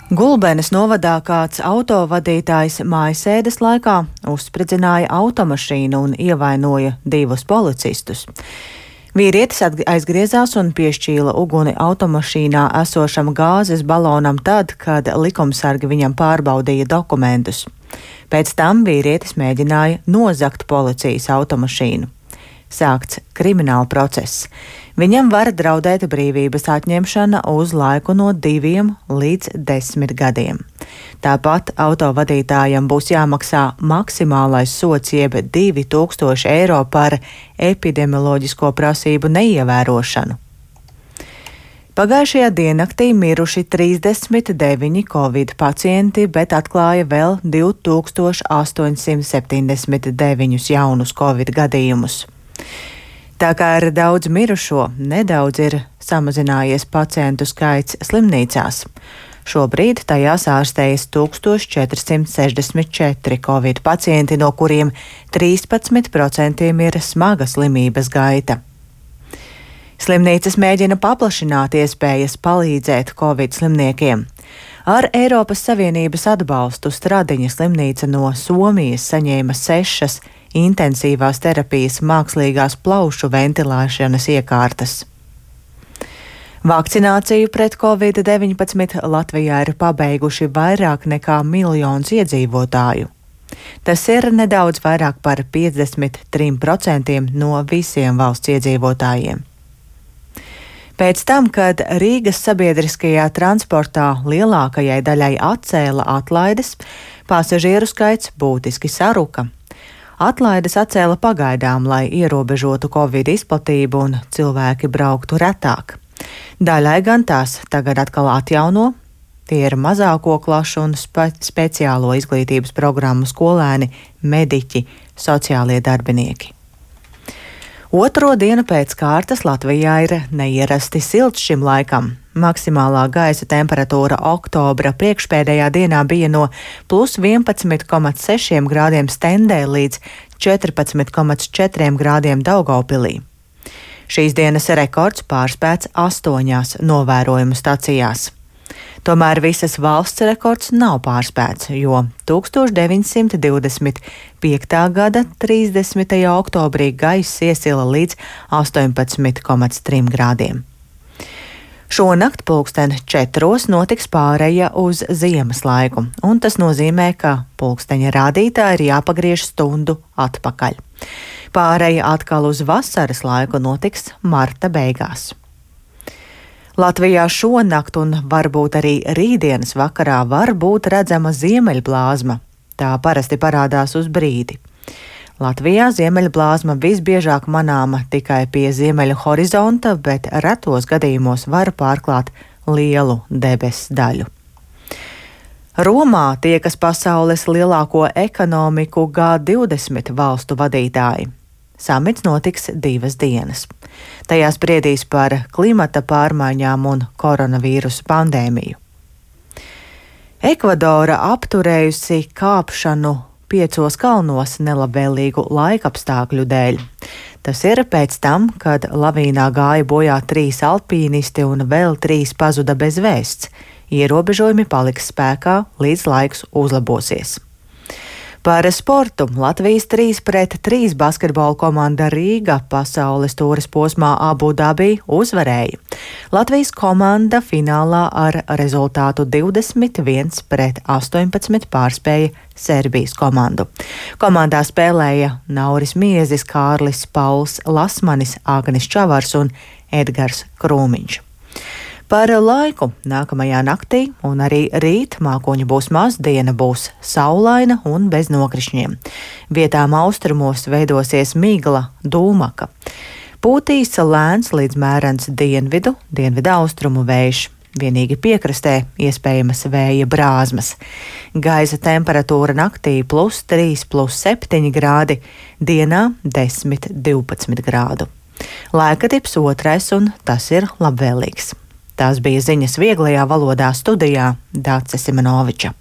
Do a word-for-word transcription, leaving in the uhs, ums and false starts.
Gulbenes novadā kāds autovadītājs mājasēdes laikā uzspridzināja automašīnu un ievainoja divus policistus. Vīrietis aizgriezās un piešķīla uguni automašīnā esošam gāzes balonam tad, kad likumsargi viņam pārbaudīja dokumentus. Pēc tam vīrietis mēģināja nozagt policijas automašīnu. Sākts krimināla process. Viņam var draudēt brīvības atņemšana uz laiku no diviem līdz desmit gadiem. Tāpat autovadītājam būs jāmaksā maksimālais sods jeb divi tūkstoši eiro par epidemioloģisko prasību neievērošanu. Pagājušajā diennaktī miruši trīsdesmit deviņi covid pacienti, bet atklāja vēl divi tūkstoši astoņsimt septiņdesmit deviņus jaunus covid gadījumus. Tā kā ir daudz mirušo, nedaudz ir samazinājies pacientu skaits slimnīcās. Šobrīd tajās ārstējas tūkstoš četrsimt sešdesmit četri covid pacienti, no kuriem trīspadsmit procenti ir smaga slimības gaita. Slimnīcas mēģina paplašināt iespējas palīdzēt covid slimniekiem. Ar Eiropas Savienības atbalstu Stradiņa slimnīca no Somijas saņēma sešas intensīvās terapijas mākslīgās plaušu ventilēšanas iekārtas. Vakcināciju pret covid deviņpadsmit Latvijā ir pabeiguši vairāk nekā miljons iedzīvotāju. Tas ir nedaudz vairāk par piecdesmit trim procentiem no visiem valsts iedzīvotājiem. Pēc tam, kad Rīgas sabiedriskajā transportā lielākajai daļai atcēla atlaides, pasažieru skaits būtiski saruka. Atlaides atcēla pagaidām, lai ierobežotu covid izplatību un cilvēki brauktu retāk. Daļai gan tās tagad atkal atjauno. Tie ir mazāko klašu un spe speciālo izglītības programmu skolēni, mediķi, sociālie darbinieki. Otro dienu pēc kārtas Latvijā ir neierasti silts šim laikam. Maksimālā gaisa temperatūra oktobra priekšpēdējā dienā bija no plus vienpadsmit komats seši grādiem Stendē līdz četrpadsmit komats četri grādiem Daugavpilī. Šīs dienas rekords pārspēts astoņās novērojumu stacijās. Tomēr visas valsts rekords nav pārspēts, jo tūkstoš deviņsimt divdesmit piektā gada trīsdesmitajā oktobrī gaiss iesila līdz astoņpadsmit komats tri grādiem. Šonakt pulksten četros notiks pāreja uz ziemas laiku, un tas nozīmē, ka pulksteņa rādītāji ir jāpagriež stundu atpakaļ. Pāreja atkal uz vasaras laiku notiks marta beigās. Latvijā šonakt un varbūt arī rītdienas vakarā var būt redzama ziemeļblāzma. Tā parasti parādās uz brīdi. Latvijā ziemeļblāzma visbiežāk manāma tikai pie ziemeļa horizonta, bet retos gadījumos var pārklāt lielu debesu daļu. Romā tiekas pasaules lielāko ekonomiku G divdesmit valstu vadītāji. Samits notiks divas dienas. Tajā spriedīs par klimata pārmaiņām un koronavīrusa pandēmiju. Ekvadora apturējusi kāpšanu piecos kalnos nelabvēlīgu laikapstākļu dēļ. Tas ir pēc tam, kad lavīnā gāja bojā trīs alpīnisti un vēl trīs pazuda bez vēsts. Ierobežojumi paliks spēkā, līdz laiks uzlabosies. Par sportu Latvijas trīs pret trīs basketbola komanda Rīga pasaules tūres posmā Abu Dabī uzvarēja. Latvijas komanda finālā ar rezultātu divdesmit viens pret astoņpadsmit pārspēja Serbijas komandu. Komandā spēlēja Nauris Miezis, Kārlis Pauls Lasmanis, Agnis Čavars un Edgars Krūmiņš. Par laiku nākamajā naktī un arī rīt mākoņu būs maz, diena būs saulaina un bez nokrišņiem. Vietām austrumos veidosies migla, dūmaka. Pūtīs lēns līdz mērens dienvidu, dienvidu austrumu vējš. Vienīgi piekrastē iespējamas vēja brāzmas. Gaisa temperatūra naktī plus trīs, plus septiņi grādi, dienā desmit, divpadsmit grādu. Laika tips otrais un tas ir labvēlīgs. Tās bija ziņas vieglajā valodā studijā Dāce Simonoviča.